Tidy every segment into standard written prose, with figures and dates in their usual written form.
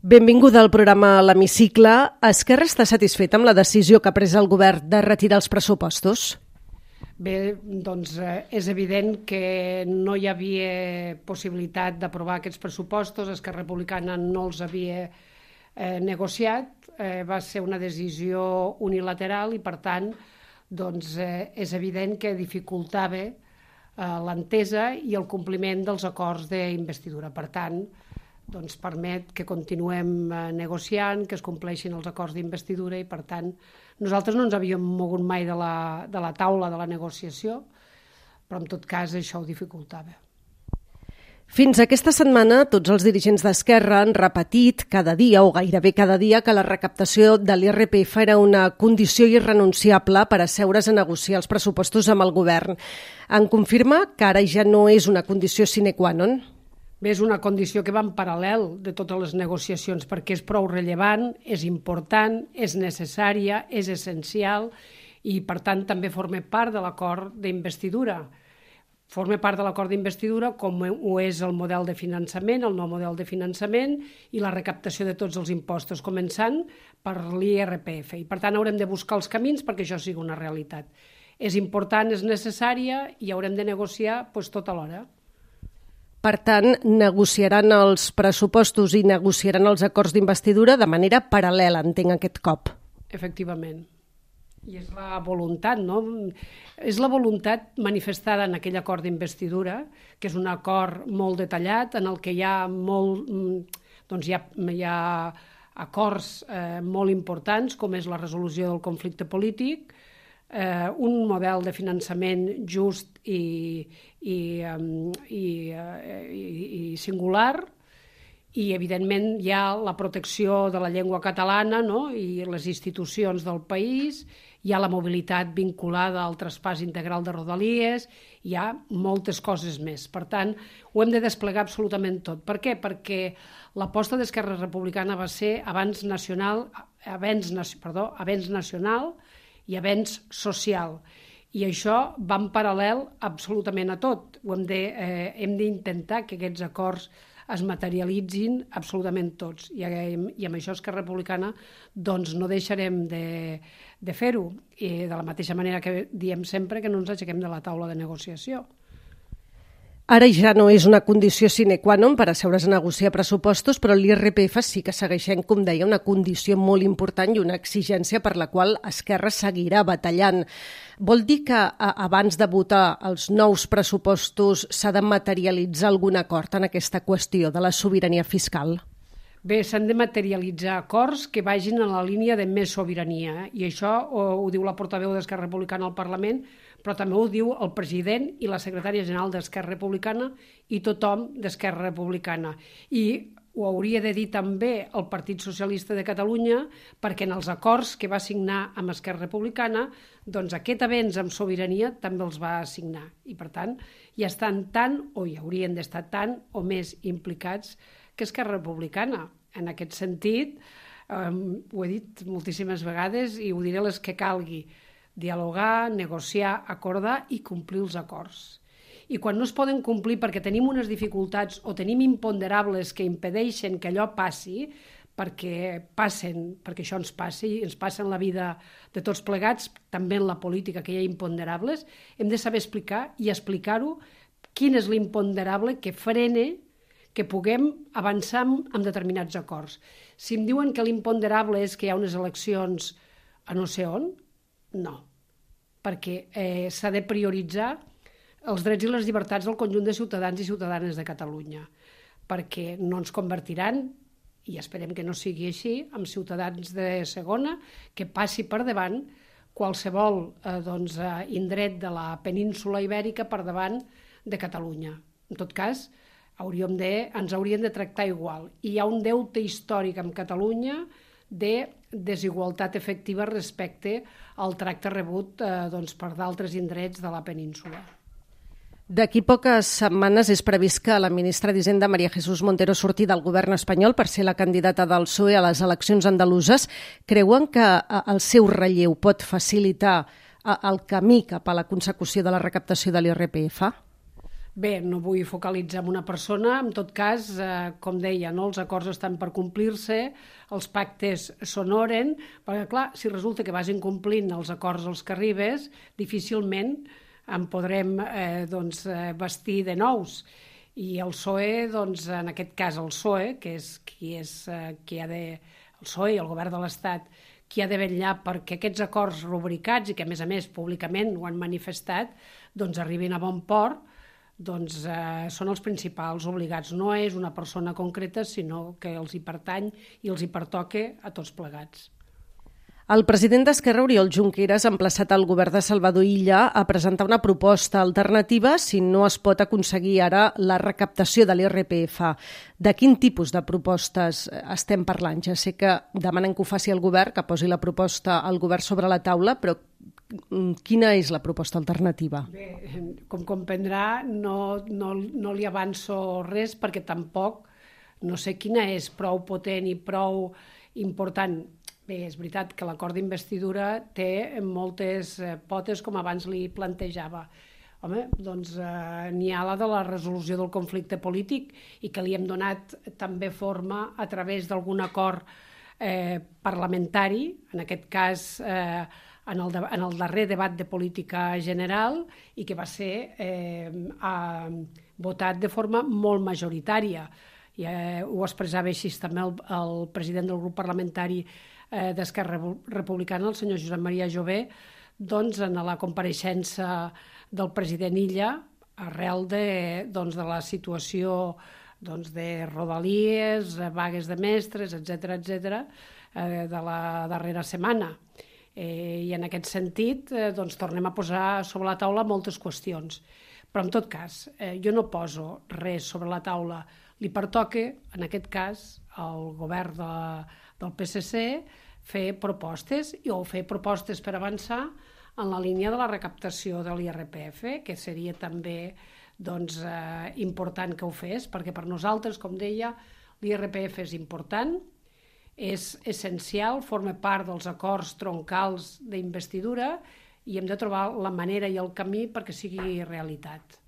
Benvinguda al programa L'Hemicicle. Esquerra està satisfeta amb la decisió que ha pres el govern de retirar els pressupostos? Bé, doncs és evident que no hi havia possibilitat d'aprovar aquests pressupostos, Esquerra Republicana no els havia negociat, va ser una decisió unilateral i per tant doncs, és evident que dificultava l'entesa i el compliment dels acords d'investidura. Per tant, doncs permet que continuem negociant, que es compleixin els acords d'investidura i, per tant, nosaltres no ens havíem mogut mai de la taula de la negociació, però en tot cas això ho dificultava. Fins aquesta setmana, tots els dirigents d'Esquerra han repetit cada dia o gairebé cada dia que la recaptació de l'IRPF era una condició irrenunciable per asseure's a negociar els pressupostos amb el govern. En confirma que ara ja no és una condició sine qua non? Bé, és una condició que va en paral·lel de totes les negociacions perquè és prou rellevant, és important, és necessària, és essencial i, per tant, també forma part de l'acord d'investidura. Forma part de l'acord d'investidura com ho és el model de finançament, el nou model de finançament i la recaptació de tots els impostos, començant per l'IRPF. I, per tant, haurem de buscar els camins perquè això sigui una realitat. És important, és necessària i haurem de negociar tota l'hora. Per tant, negociaran els pressupostos i negociaran els acords d'investidura de manera paral·lela, entenc, aquest cop. Efectivament. I és la voluntat, no? És la voluntat manifestada en aquell acord d'investidura, que és un acord molt detallat, en el que hi ha hi ha acords molt importants, com és la resolució del conflicte polític, un model de finançament just i singular i, evidentment, hi ha la protecció de la llengua catalana, no? I les institucions del país, hi ha la mobilitat vinculada al traspàs integral de Rodalies, hi ha moltes coses més. Per tant, ho hem de desplegar absolutament tot. Per què? Perquè l'aposta d'Esquerra Republicana va ser avenç nacional i avenç social. I això va en paral·lel absolutament a tot. Hem d'intentar que aquests acords es materialitzin absolutament tots. I amb això Esquerra Republicana doncs, no deixarem de fer-ho. I de la mateixa manera que diem sempre que no ens aixequem de la taula de negociació. Ara ja no és una condició sine qua non per asseure's a negociar pressupostos, però l'IRPF sí que segueix sent, com deia, una condició molt important i una exigència per la qual Esquerra seguirà batallant. Vol dir que abans de votar els nous pressupostos s'ha de materialitzar algun acord en aquesta qüestió de la sobirania fiscal? Bé, s'han de materialitzar acords que vagin en la línia de més sobirania, i això ho diu la portaveu d'Esquerra Republicana al Parlament, però també ho diu el president i la secretària general d'Esquerra Republicana i tothom d'Esquerra Republicana. I ho hauria de dir també el Partit Socialista de Catalunya, perquè en els acords que va signar amb Esquerra Republicana, doncs aquest avenç amb sobirania també els va signar. I, per tant, ja estan tant, o hi haurien d'estar tant o més implicats que Esquerra Republicana. En aquest sentit, ho he dit moltíssimes vegades i ho diré les que calgui, dialogar, negociar, acordar i complir els acords. I quan no es poden complir perquè tenim unes dificultats o tenim imponderables que impedeixen que allò passi, perquè això ens passi i ens passa en la vida de tots plegats, també en la política, que hi ha imponderables, hem de saber explicar i explicar-ho quin és l'imponderable que frene que puguem avançar en determinats acords. Si em diuen que l'imponderable és que hi ha unes eleccions a no sé on, no, perquè s'ha de prioritzar els drets i les llibertats del conjunt de ciutadans i ciutadanes de Catalunya, perquè no ens convertiran, i esperem que no sigui així, en ciutadans de segona, que passi per davant qualsevol indret de la península ibèrica per davant de Catalunya. En tot cas, ens haurien de tractar igual. I hi ha un deute històric amb Catalunya de desigualtat efectiva respecte al tracte rebut per d'altres indrets de la península. D'aquí poques setmanes és previst que la ministra d'Hisenda, María Jesús Montero, surti del govern espanyol per ser la candidata del PSOE a les eleccions andaluses. Creuen que el seu relleu pot facilitar el camí cap a la consecució de la recaptació de l'IRPF? Bé, no vull focalitzar en una persona, en tot cas, com deia, no? Els acords estan per complir-se, els pactes s'honoren, perquè clar, si resulta que vas incomplint els acords als que arribes, difícilment en podrem vestir de nous. I el PSOE, doncs, en aquest cas el PSOE, que és qui ha de... El PSOE i el govern de l'Estat, qui ha de vetllar perquè aquests acords rubricats i que, a més, públicament ho han manifestat, doncs arribin a bon port, doncs són els principals obligats. No és una persona concreta, sinó que els hi pertany i els hi pertoca a tots plegats. El president d'Esquerra, Oriol Junqueras, ha emplaçat el govern de Salvador Illa a presentar una proposta alternativa si no es pot aconseguir ara la recaptació de l'IRPF. De quin tipus de propostes estem parlant? Ja sé que demanen que ho faci el govern, que posi la proposta al govern sobre la taula, però quina és la proposta alternativa? Bé, com comprendrà, no li avanço res perquè tampoc no sé quina és prou potent i prou important. Bé, és veritat que l'acord d'investidura té moltes potes, com abans li plantejava. Home, doncs n'hi ha la de la resolució del conflicte polític i que li hem donat també forma a través d'algun acord parlamentari, en aquest cas en el darrer debat de política general i que va ser votat de forma molt majoritària. I ho expressava així també el president del grup parlamentari d'Esquerra Republicana, el senyor Josep Maria Jové, doncs en la compareixença del president Illa, arrel de la situació de rodalies, vagues de mestres, etc., de la darrera setmana. I en aquest sentit tornem a posar sobre la taula moltes qüestions. Però en tot cas, jo no poso res sobre la taula. Li pertoca, en aquest cas, al govern del PSC fer propostes o fer propostes per avançar en la línia de la recaptació de l'IRPF, que seria també important que ho fes, perquè per nosaltres, com deia, l'IRPF és important, és essencial, forma part dels acords troncals d'investidura i hem de trobar la manera i el camí perquè sigui realitat.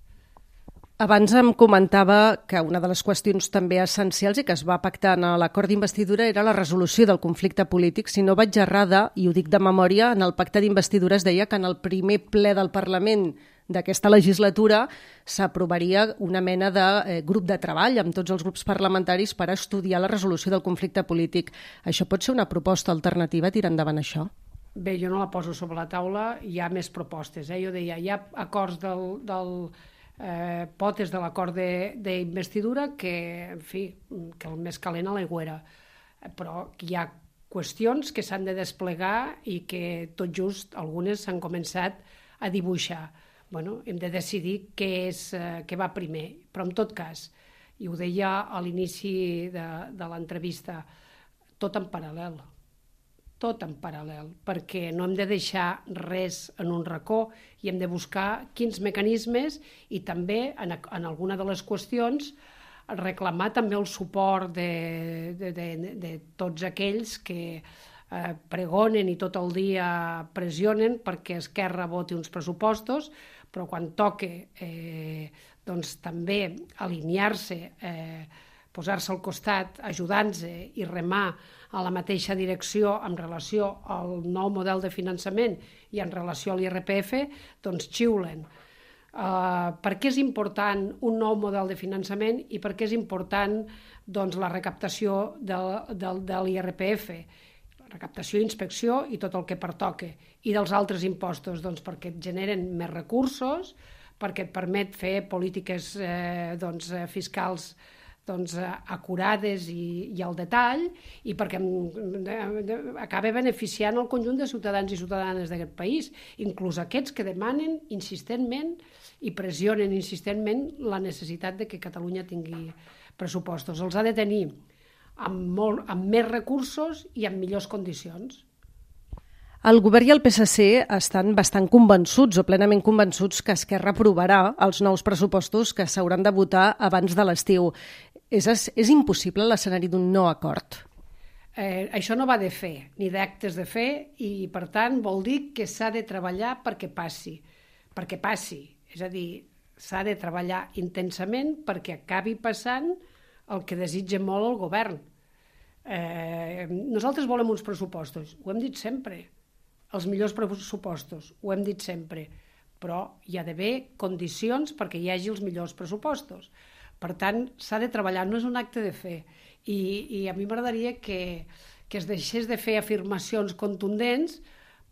Abans em comentava que una de les qüestions també essencials i que es va pactar en l'acord d'investidura era la resolució del conflicte polític. Si no vaig errada, i ho dic de memòria, en el pacte d'investidura es deia que en el primer ple del Parlament d'aquesta legislatura s'aprovaria una mena de grup de treball amb tots els grups parlamentaris per estudiar la resolució del conflicte polític. Això pot ser una proposta alternativa, tirar endavant això? Bé, jo no la poso sobre la taula, hi ha més propostes. Jo deia, hi ha acords potes de l'acord d'investidura que, en fi, que el més calent a l'aigüera. Però hi ha qüestions que s'han de desplegar i que tot just algunes s'han començat a dibuixar. Bueno, hem de decidir què va primer. Però en tot cas, i ho deia a l'inici de l'entrevista, tot en paral·lel, perquè no hem de deixar res en un racó i hem de buscar quins mecanismes i també en alguna de les qüestions reclamar també el suport de tots aquells que pregonen i tot el dia pressionen perquè Esquerra voti uns pressupostos, però quan toca també alinear-se, posar-se al costat, ajudant-se i remar a la mateixa direcció en relació al nou model de finançament i en relació a l'IRPF, doncs xiulen. Per què és important un nou model de finançament i per què és important la recaptació de l'IRPF? Recaptació, inspecció i tot el que pertoca. I dels altres impostos, doncs perquè et generen més recursos, perquè et permet fer polítiques fiscals acurades i al detall i perquè acaba beneficiant el conjunt de ciutadans i ciutadanes d'aquest país, inclús aquests que demanen insistentment i pressionen insistentment la necessitat de que Catalunya tingui pressupostos. Els ha de tenir amb més recursos i amb millors condicions. El govern i el PSC estan bastant convençuts o plenament convençuts que Esquerra aprovarà els nous pressupostos que s'hauran de votar abans de l'estiu. És impossible l'escenari d'un no acord? Això no va de fer, ni d'actes de fer, i per tant vol dir que s'ha de treballar perquè passi. És a dir, s'ha de treballar intensament perquè acabi passant el que desitja molt el govern. Nosaltres volem uns pressupostos, ho hem dit sempre, els millors pressupostos, ho hem dit sempre, però hi ha d'haver condicions perquè hi hagi els millors pressupostos. Per tant, s'ha de treballar, no és un acte de fe. I a mi m'agradaria que es deixés de fer afirmacions contundents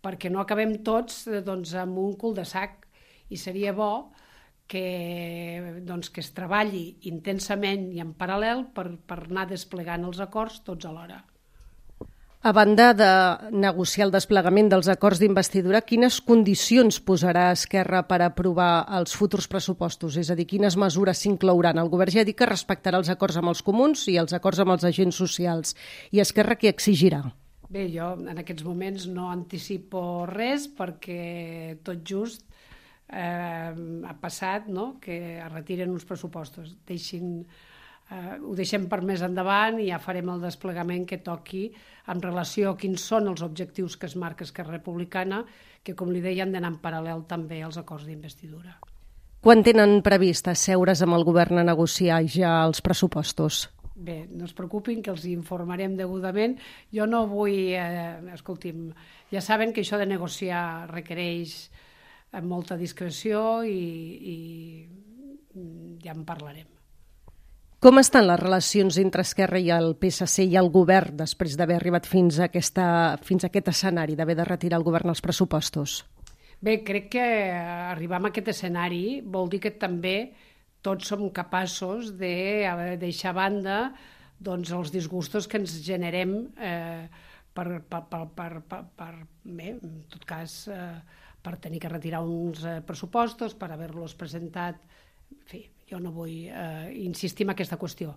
perquè no acabem tots amb un cul de sac. I seria bo que es treballi intensament i en paral·lel per anar desplegant els acords tots alhora. A banda de negociar el desplegament dels acords d'investidura, quines condicions posarà Esquerra per aprovar els futurs pressupostos? És a dir, quines mesures s'inclouran? El govern ja ha dit que respectarà els acords amb els comuns i els acords amb els agents socials. I Esquerra què exigirà? Bé, jo en aquests moments no anticipo res perquè tot just ha passat, no?, que es retiren uns pressupostos. Ho deixem per més endavant i ja farem el desplegament que toqui en relació a quins són els objectius que es marca Esquerra Republicana, que, com li deia, han d'anar en paral·lel també als acords d'investidura. Quan tenen previst asseure's amb el govern a negociar ja els pressupostos? Bé, no es preocupin, que els informarem degudament. Jo no vull... escolti'm, ja saben que això de negociar requereix molta discreció i ja en parlarem. Com estan les relacions entre Esquerra i el PSC i el govern després d'haver arribat fins a aquest escenari, d'haver de retirar el govern els pressupostos? Bé, crec que arribar a aquest escenari vol dir que també tots som capaços de deixar a banda els disgustos que ens generem en tot cas, per tenir que retirar uns pressupostos, per haver-los presentat. En fi, jo no vull insistir en aquesta qüestió.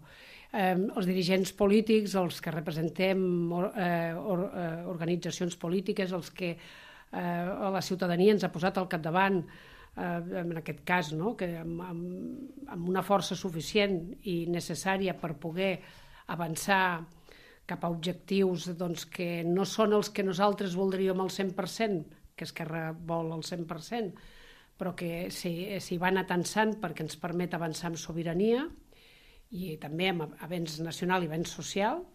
Els dirigents polítics, els que representem organitzacions polítiques, els que la ciutadania ens ha posat al capdavant, en aquest cas, no?, que amb una força suficient i necessària per poder avançar cap a objectius que no són els que nosaltres voldríem al 100%, que Esquerra vol al 100%, però que s'hi van atansant perquè ens permet avançar amb sobirania i també amb avenç nacional i avenç social.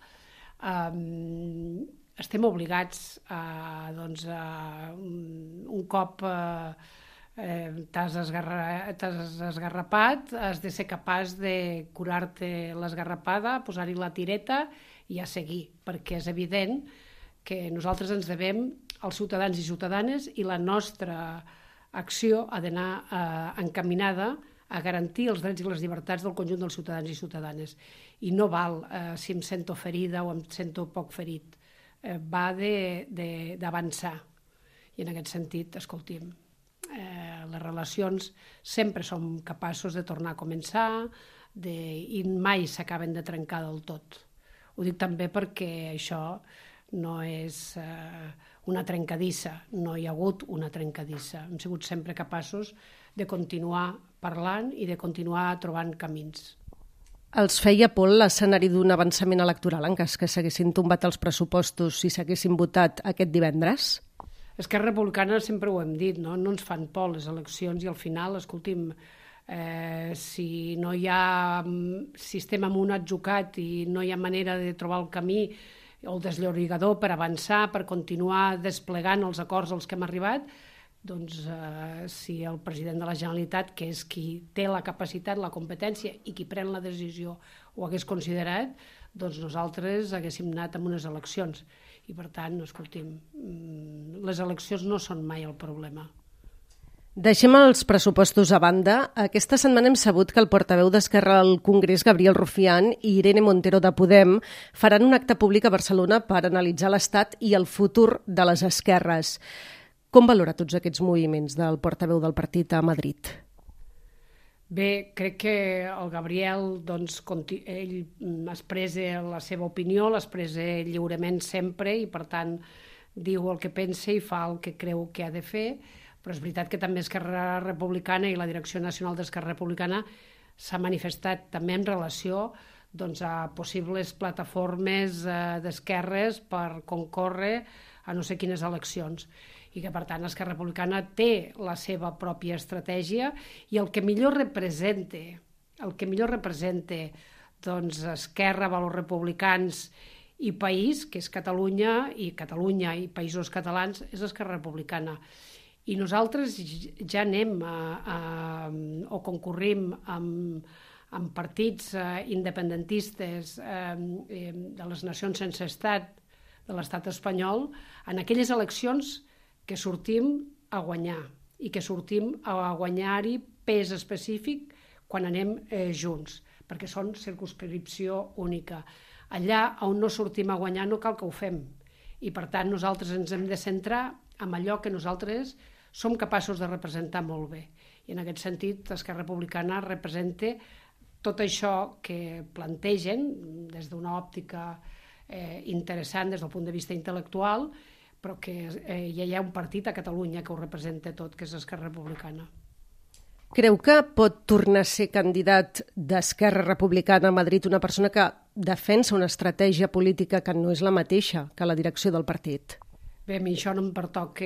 Estem obligats un cop t'has esgarrapat, has de ser capaç de curar-te l'esgarrapada, posar-hi la tireta i a seguir, perquè és evident que nosaltres ens devem als ciutadans i ciutadanes i la nostra acció ha d'anar encaminada a garantir els drets i les llibertats del conjunt dels ciutadans i ciutadanes. I no val si em sento ferida o em sento poc ferit. Va d'avançar. I en aquest sentit, escolti'm, les relacions sempre som capaços de tornar a començar i mai s'acaben de trencar del tot. Ho dic també perquè això no és una trencadissa, no hi ha hagut una trencadissa. Hem sigut sempre capaços de continuar parlant i de continuar trobant camins. Els feia por l'escenari d'un avançament electoral en cas que s'haguessin tombat els pressupostos si s'haguessin votat aquest divendres? Esquerra Republicana sempre ho hem dit, no ens fan por les eleccions i al final, escolti'm, si no hi ha, si estem en un atzucac i no hi ha manera de trobar el camí o el desllorigador per avançar, per continuar desplegant els acords als que hem arribat, doncs si el president de la Generalitat, que és qui té la capacitat, la competència i qui pren la decisió, ho hagués considerat, doncs nosaltres haguéssim anat amb unes eleccions. I per tant, escolti'm, les eleccions no són mai el problema. Deixem els pressupostos a banda. Aquesta setmana hem sabut que el portaveu d'Esquerra al Congrés, Gabriel Rufián, i Irene Montero de Podem faran un acte públic a Barcelona per analitzar l'estat i el futur de les esquerres. Com valora tots aquests moviments del portaveu del partit a Madrid? Bé, crec que el Gabriel, ell expressa la seva opinió, l'expressa lliurement sempre i, per tant, diu el que pensa i fa el que creu que ha de fer, però és veritat que també Esquerra Republicana i la Direcció Nacional d'Esquerra Republicana s'ha manifestat també en relació a possibles plataformes d'esquerres per concórrer a no sé quines eleccions. i que per tant Esquerra Republicana té la seva pròpia estratègia i el que millor representa doncs, Esquerra, valors republicans i país, que és Catalunya i països catalans, és Esquerra Republicana. I nosaltres ja anem o concorrim amb partits independentistes de les nacions sense estat de l'estat espanyol en aquelles eleccions que sortim a guanyar i que sortim a guanyar-hi pes específic quan anem junts, perquè són circumscripció única. Allà on no sortim a guanyar no cal que ho fem i per tant nosaltres ens hem de centrar en allò que nosaltres som capaços de representar molt bé. I en aquest sentit Esquerra Republicana representa tot això que plantegen des d'una òptica interessant des del punt de vista intel·lectual, però que ja hi ha un partit a Catalunya que ho representa tot, que és Esquerra Republicana. Creu que pot tornar a ser candidat d'Esquerra Republicana a Madrid una persona que defensa una estratègia política que no és la mateixa que la direcció del partit? Bé, a mi això no em pertoca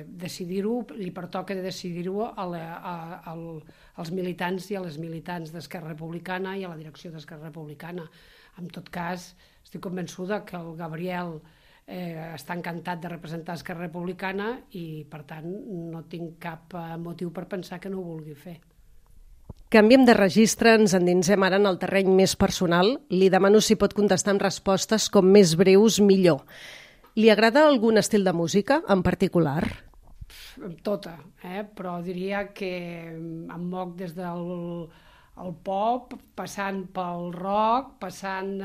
decidir-ho, li pertoca decidir-ho als militants i a les militants d'Esquerra Republicana i a la direcció d'Esquerra Republicana. En tot cas, estic convençuda que el Gabriel està encantat de representar Esquerra Republicana i, per tant, no tinc cap motiu per pensar que no ho vulgui fer. Canviem de registre, ens endinsem ara en el terreny més personal. Li demano si pot contestar amb respostes com més breus millor. Li agrada algun estil de música en particular? Tota, però diria que em moc des del pop, passant pel rock, passant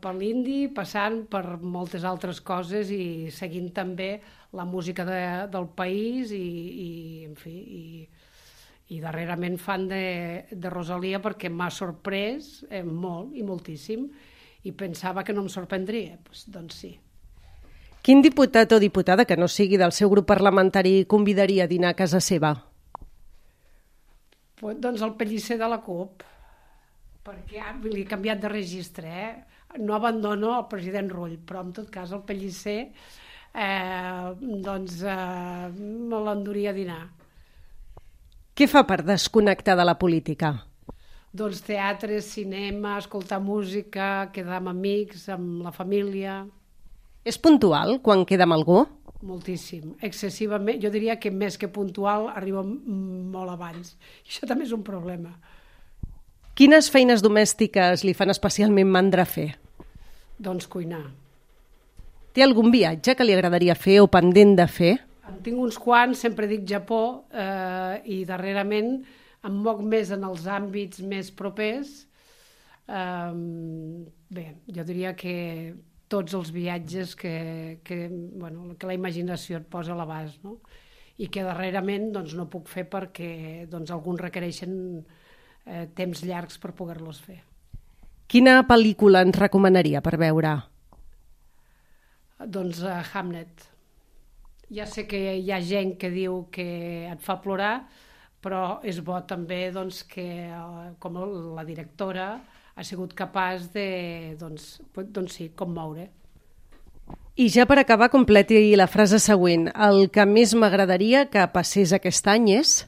per l'indie, passant per moltes altres coses i seguint també la música del país i darrerament fan de Rosalia perquè m'ha sorprès molt i moltíssim i pensava que no em sorprendria, doncs sí. Quin diputat o diputada que no sigui del seu grup parlamentari convidaria a dinar a casa seva? Doncs el Pellicer de la CUP, perquè li he canviat de registre, No abandono el president Rull, però en tot cas el Pellicer me l'enduria a dinar. Què fa per desconnectar de la política? Doncs teatre, cinema, escoltar música, quedar amb amics, amb la família. És puntual quan queda amb algú? Moltíssim, excessivament. Jo diria que més que puntual arriba molt abans. Això també és un problema. Quines feines domèstiques li fan especialment mandra fer? Doncs cuinar. Té algun viatge que li agradaria fer o pendent de fer? En tinc uns quants, sempre dic Japó, i darrerament em moc més en els àmbits més propers. Bé, jo diria que tots els viatges que la imaginació et posa a l'abast, no? I que darrerament no puc fer perquè alguns requereixen temps llargs per poder-los fer. Quina pel·lícula ens recomanaria per veure? Doncs Hamlet. Ja sé que hi ha gent que diu que et fa plorar, però és bo també que com la directora ha sigut capaç de commoure. I ja per acabar, completi la frase següent. El que més m'agradaria que passés aquest any és?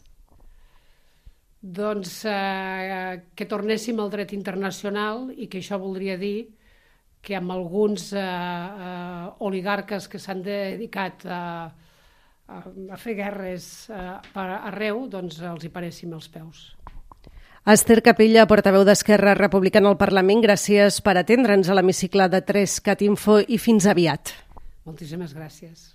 Doncs que tornéssim al dret internacional i que això voldria dir que amb alguns oligarques que s'han dedicat a fer guerres arreu, doncs els hi paréssim els peus. Esther Capella, portaveu d'Esquerra Republicana al Parlament, gràcies per atendre'ns a l'hemicicle de 3CAT Info i fins aviat. Moltíssimes gràcies.